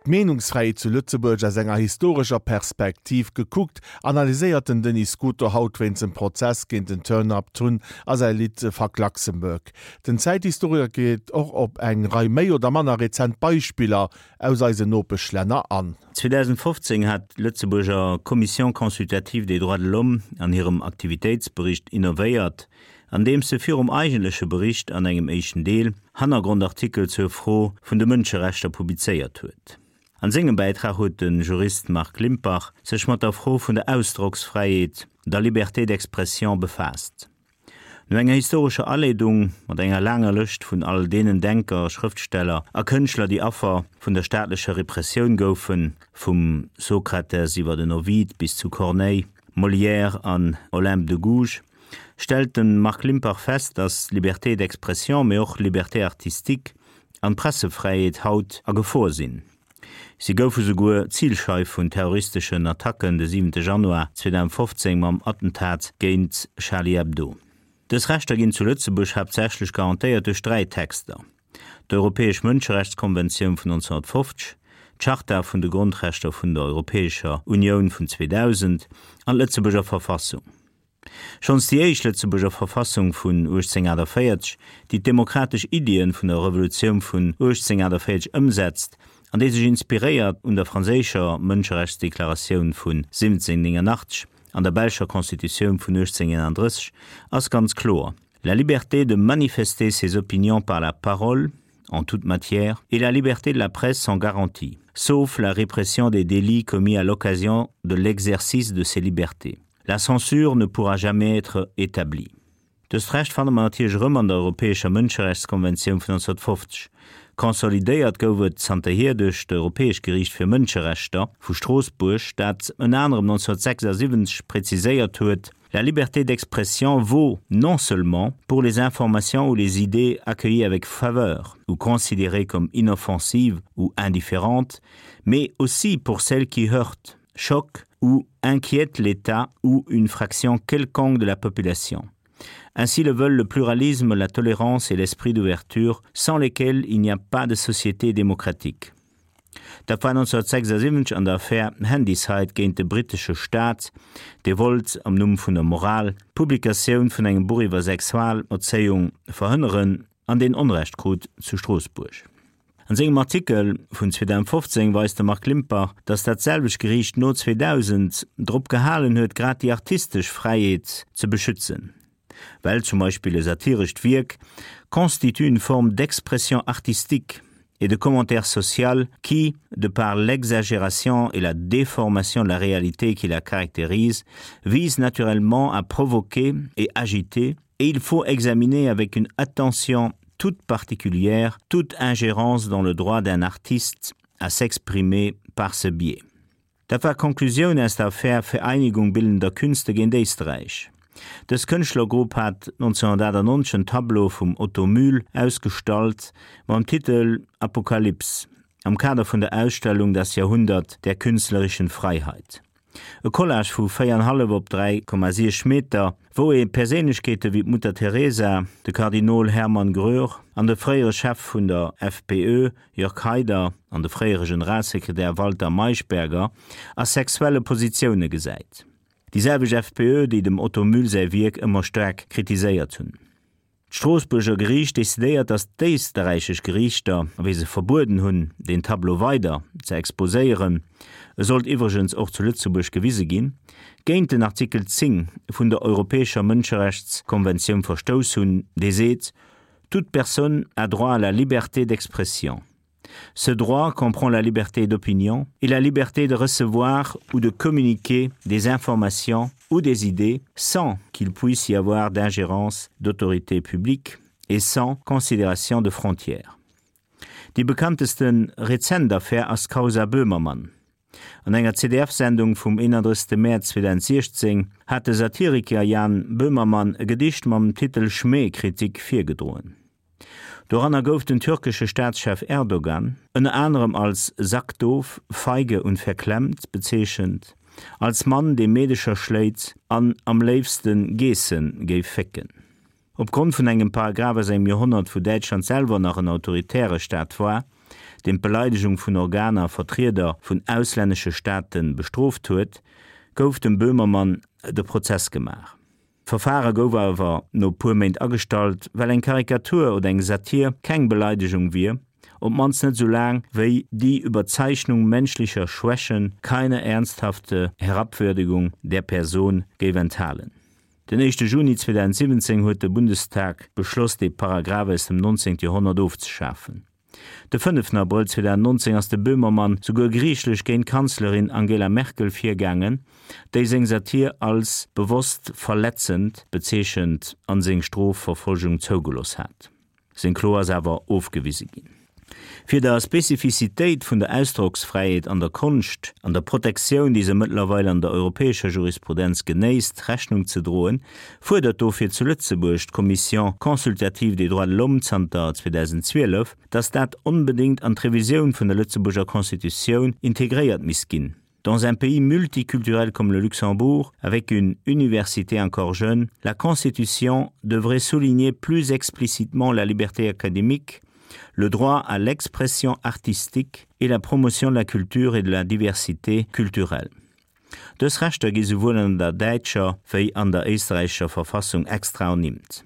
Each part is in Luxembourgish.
D'Meenungsfräiheet zu Lëtzebuerg aus enger historescher Perspektiv gekuckt, analyséiert den Denis Scuto haut wéinst dem Prozess géint den Turn Up Tun a säi Lidd Fuck Luxembourg. Den Zäithistoriker geet och op eng Rei méi oder manner rezent Beispiller aus eisen Nopeschlänner an. 2015 hat d'Lëtzebuerger Commission consultative des droits de l'homme an hirem Aktivitéitsbericht innovéiert, andeems se virum eigentleche Bericht an engem éischten Deel Hannergrondartikel zur Fro vun de Mënscherechter publizéiert huet. An sengem Bäitrag huet de Jurist Marc Limpach sech mat der Fro vun der Ausdrocksfräiheet, der Liberté d'expression, befaasst. No enger historescher Aleedung mat enger laanger Lëscht vun all deenen Denker, Schrëftsteller a Kënschtler, déi Affer vun der staatlecher Repressioun goufen, vum Sokrates iwwer den Ovid bis zu Corneille, Molière an Olympe de Gouges, stellt de Marc Limpach fest, datt d'Liberté d'expression, mee och d'Liberté artistique an d'Pressefräiheet haut a Gefor sinn. Si goufe souguer Zilscheif vun terroristeschen Attacken de 7 Januar 2015 mam Attentat géint Charlie Hebdo. Dës Rechter ginn zu Lëtzebuerg haaptsächlech garantéiert duerch 3 Texter, d'Europäesch Mënscherechtskonventioun vun 1950, d'Charta vun de Grondrechter vun der Europäescher Unioun vun 2000 an d'Lëtzebuerger Verfassung. Schonns déi éischt Lëtzebuerger Verfassung vun 1848, déi d'demokratesch Iddien vun der Revolutioun vun 1848 ëmsetzt an déi sech inspiréiert un der franséischer Mënscherechtsdeklaratioun vun 1789 an der belscher Constitutioun vun 1831, ass ganz kloer, La liberté de manifester ses opinions par la parole, en toute matière, et la liberté de la presse sont garanties, sauf la répression des délits commis à l'occasion de l'exercice de ces libertés. La censure ne pourra jamais être établie. Dëst Recht fanne mer natierlech erëm an der Europäescher Mënscherechtskonventioun vun 1950. Consolidéiert gouf et zanterhier duerch d'Europäescht Geriicht fir Mënscherechter vu Stroossbuerg, dat ënner anerem 1976 präziséiert huet, La liberté d'expression vaut non seulement pour les informations ou les idées accueillies avec faveur ou considérées comme inoffensives ou indifférentes, mais aussi pour celles qui heurtent, choquent ou inquiètent l'État ou une fraction quelconque de la population. Ainsi le veulent le pluralisme, la tolérance et l'esprit d'ouverture, sans lesquels il n'y a pas de société démocratique. Dat war 1976 an der Affär Handyside géint de brittesche Staat, dee wollt, am Numm vun der Moral, d'Publikatioun vun engem Buch iwwer Sexualerzéiung verhënneren an deen Onrecht krut zu Stroossbuerg. An sengem Artikel vun 2015 weist de Marc Limpach, datt dat selwecht Geriicht no 2000 drop gehalen huet, grad déi artistesch Fräiheet ze beschützen, well zum Beispill e satirescht Wierk constitue une forme d'expression artistique et de commentaire social qui, de par l'exagération et la déformation de la réalité qui la caractérise, vise naturellement à provoquer et agiter, et il faut examiner avec une attention toute particulière toute ingérence dans le droit d'un artiste à s'exprimer par ce biais. Dat war d'Konklusioun aus der Affär Vereinigung bildender Künste géint Éisträich. Dës Kënschtlergrupp hat 1998 en Tableau vum Otto Mühl ausgestallt mam Titel Apokalypse am Kader vun der Ausstellung Das Jahrhundert der künstlerischen Freiheit. E Collage vu 4,5 op 3,6 Meter, wou ee Perséinlechkeete wéi d'Mutter Teresa, de Kardinol Hermann Gröhr an de fréiere Chef vun der FPÖ Jörg Haider an de fréiere Generalsekretär Walter Maischberger a sexuelle Positioune gesäit. Déi selwecht FPÖ, déi dem Otto Mühl säi Wierk ëmmer staark kritiséiert hunn. D'Stroossbuerger Geriicht decidéiert, datt d'éisterräichesch Geriichter, wéi se verbueden hunn, deen Tableau weider ze exposéieren, e sollt iwwregens och zu Lëtzebuerg gewise ginn, géint den Artikel 10 vun der Europäescher Mënscherechtskonventioun verstouss hunn, dee seet, Toute personne a droit à la liberté d'expression. Ce droit comprend la liberté d'opinion et la liberté de recevoir ou de communiquer des informations ou des idées sans qu'il puisse y avoir d'ingérence d'autorité publique et sans considération de frontières. Déi bekannteste rezent Affär ass d'Causa Böhmermann. An enger ZDF-Sendung vum 31. Mäerz 2016 hat de Satiriker Jan Böhmermann e Gedicht mam Titel Schmähkritik virgedroen. Doranner gouf den türkesche Staatschef Erdogan ënner anerem als sackdoof, feige und verklemmt bezeechent, als Mann, dee Meedecher schléit an am léifste Geesse géif fécken. Opgrond vun engem Paragraph aus engem Joerhonnert, wou Däitschland selwer nach en autoritäre Staat war. deen d'Beleidegung vun Organer a Vertrieder vun auslännesche Staate bestrooft huet, gouf dem Böhmermann de Prozess gemaach. D'Verfare gouf awer no puer Méint agestallt, well eng Karikatur oder eng Satir keng Beleidegung wier, op d'mannst net soulaang wéi die Überzeichnung menschlicher Schwächen keine ernsthafte Herabwürdigung der Person géif enthalen. Den éischte Juni 2017 huet de Bundestag beschloss, dee Paragraph aus dem 19. Joerhonnert ofzeschafen. De fënneften Abrëll 2019 ass de Böhmermann souguer geriichtlech géint d'Kanzlerin Angela Merkel virgaangen, déi seng Satir als bewosst verletzend bezeechent an seng Strofverfolgung zougelooss hat. Seng Klo ass awer ofgewise ginn. Fir der Spezifizitéit vun der Ausdrocksfräiheet an der Konscht an der Protektioun, déi se mëttlerweil an der europäescher Jurisprudenz genéisst, Rechnung ze droen, fuerdert dofir zu Lëtzebuerg d'Commission consultative des droits de l'homme zanter 2012, datt dat onbedéngt an d'Revisioun vun der Lëtzebuerger Constitutioun integréiert misst ginn. Dans un pays multiculturel comme le Luxembourg, avec une université encore jeune, la Constitution devrait souligner plus explicitement la liberté académique, le droit à l'expression artistique et la promotion de la culture et de la diversité culturelle. Dës Rechter gi souwuel an der däitscher wéi an der éisträichescher Verfassung extra ernimmt.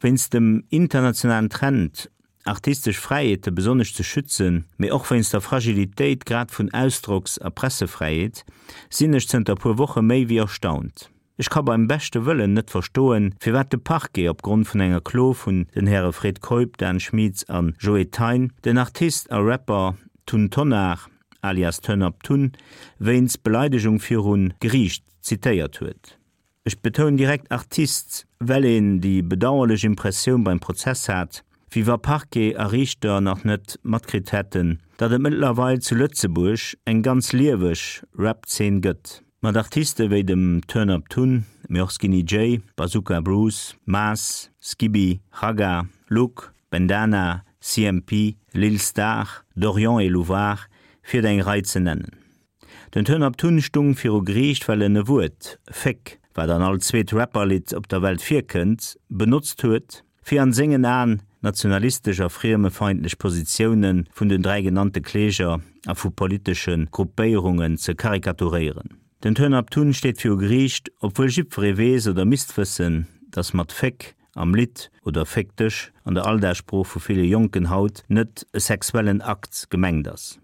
Wéinst dem internationalen Trend, artistesch Fräiheete besonnesch ze schützen, mee och wéinst der Fragilitéit grad vun Ausdrocks a Pressefräiheet, sinn ech zënter puer Woche méi wéi erstaunt. Ech ka beim beschte Wëllen net verstoen, firwat de Parquet op Grond vun enger Klo vun den Häre Fred Keup, Dan Schmieds an Joe Thein den Artist a Rapper Tun Tonnar alias Turn Up Tun wéinst Beleidegung viru Geriicht zitéiert huet. Ech betounen direkt Artist, well een déi bedauerlech Impressioun beim Prozess hat, wéi wa Parquet a Riichter nach net matkritt hätten, datt et mëttlerweil zu Lëtzebuerg eng ganz lieweg Rap-Zeen gëtt. Mat Artiste wéi dem Turn Up Tun, mee och Skinny Jay, Bazooka Bruce, Maas, Skibi, Ragga, Luke, Bendana, CMP, Lil Star, Dorian et Louvard, fir der eng Rei ze nennen. Den Turn Up Tun stung viru Geriicht, well en e Wuert, Féck, wat an all zweet Rapper-Lidd op der Welt virkënnt, benotzt huet, fir an sengen Aen nationalistesch a friemefeindlech Positioune vun den 3 genannte Kläger a vu politesche Gruppéierungen ze karikaturéieren. Den Turn Up Tun steet viru Geriicht, obwuel jiddweree weess oder misst wëssen, datt mat Féck am Lidd oder Féck dech an der Alldagssprooch vu ville Jonken haut net e sexuellen Akt gemengt ass.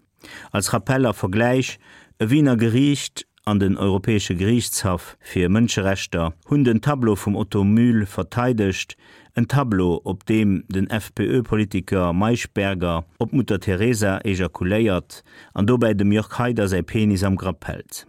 Als Rappell a Vergläich, E Wiener Geriicht an den Europäesche Geriichtshaff fir Mënscherechter hunn den Tableau vum Otto Mühl verteidegt, en Tableau, op deem den FPÖ-Politiker Maischberger op d'Mutter Teresa ejakuléiert an dobäi dem Jörg Haider säi Penis am Grapp hält.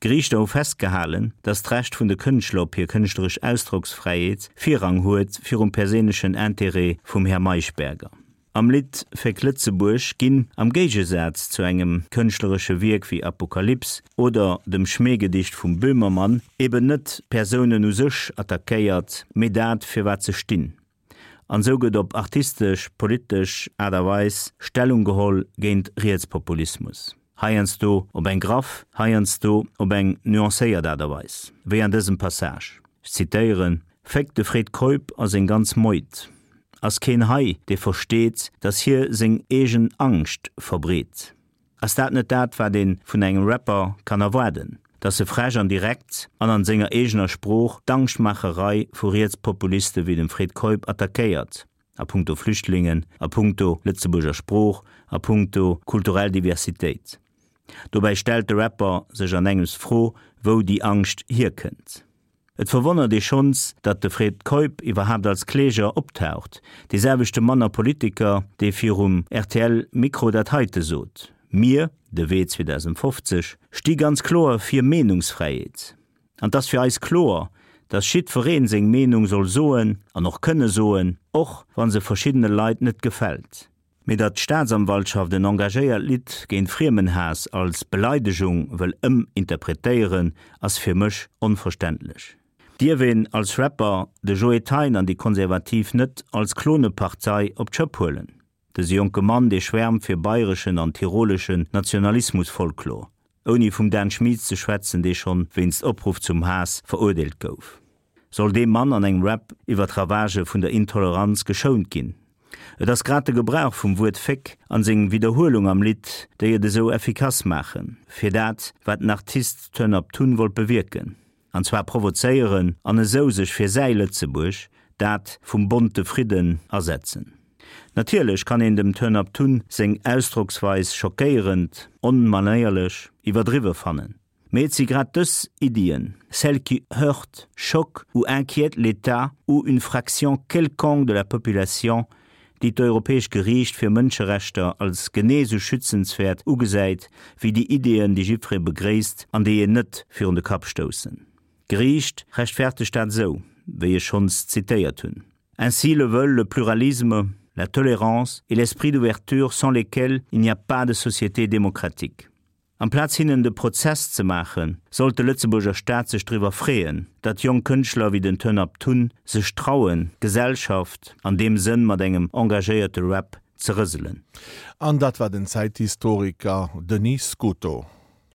D'Geriichter hu festgehalen, datt d'Recht vun de Kënschtler op hir kënschtleresch Ausdrocksfräiheet Virrang huet virum perséinlechen Interêt vum Här Maischberger. Am Lidd Féck Lëtzebuerg ginn, am Géigesaz zu engem kënschtleresche Wierk wéi Apokalyps oder dem Schmähgedicht vum Böhmermann, eben net d'Persounen u sech attackéiert, mee dat, fir wat se stinn. An esou gëtt op artistesch, politesch Aart a Weis Stellung geholl géint Rietspopulismus. Heiansdo op eng graff, heiansdo op eng nuancéiert Aart a Weis, wéi an dësem Passage. Ech zitéieren, Féck de Fred Keup a seng ganz Meute. Ass keen hei, dee versteet, datt hie seng eegen Angscht verbreet? Ass dat net dat, wat ee vun engem Rapper kann erwaarden, datt e frech an direkt an an senger eegener Sprooch d'Angschtmaacherei vu Rietspopuliste wéi dem Fred Keup attackéiert, a punkto Flüchtlingen, a punkto Lëtzebuerger Sprooch, a punkto kulturell Diversitéit? Dobäi stellt de Rapper sech an engems d'Fro, wou déi Angscht hierkënnt. Et verwonnert ee schonns, datt de Fred Keup iwwerhaapt als Kläger optaucht, dee selwechte Mann a Politiker, dee virum RTL-Mikro dat heite sot, Mir, de Wee 2050, sti ganz kloer fir Meenungsfräiheet. An 't ass fir eis kloer, datt jiddweree seng Meenung soll soen an och kënne soen, och wa se verschiddene Leit net gefält. Mee datt d'Staatsanwaltschaft en engagéiert Lidd géint Friemenhaass als Beleidegung wëll ëminterpretéieren, ass fir mech onverständlech. Dierf een als Rapper de Joe Thein an déi Konservativ net als Klonepartei op d'Schëpp huelen? Dëse jonke Mann, dee schwärmt fir bayreschen an tiroleschen Nationalismusfolklor, ouni vum Dan Schmieds ze schwätzen, dee schonn wéinst Opruff zum Haass verurdeelt gouf. Soll dee Mann an engem Rap iwwer d'Ravagë vun der Intoleranz geschount ginn? Et ass grad de Gebrauch vum Wuert Féck an seng Widderhuelung am Lidd, déi et esou effikass maachen, fir dat, wat den Artist Turn Up Tun wollt bewierken, an zwar provozéieren an esou sech fir säi Lëtzebuerg, dat vum bonte Fridden, asetzen. Natierlech kann een dem Turn Up Tun seng Ausdrocksweis schockéierend, onmanéierlech, iwwerdriwwe fannen. Mee et si grad dës Iddien, celles qui heurtent, choquent ou inquiètent l'État ou une fraction quelconque de la population, déi d'Europäesch Geriicht fir Mënscherechter als genee esou schützenswäert ugesäit wéi déi Ideeën, déi jiddweree begréisst an déi een net virun de Kapp stoussen. D'Geriicht rechtfertegt dat esou, wéi ech schonns zitéiert hunn. Ainsi le veulent le pluralisme, la tolérance et l'esprit d'ouverture sans lesquels il n'y a pas de société démocratique. Amplaz hinnen de Prozess ze maachen, sollt de Lëtzebuerger Staat sech driwwer freeën, datt jonk Kënschtler wéi den Turnup Tun sech trauen, d'Gesellschaft an deem Sënn mat engem engagéierte Rap ze rëselen. An dat war den Zäithistoriker Denis Scuto.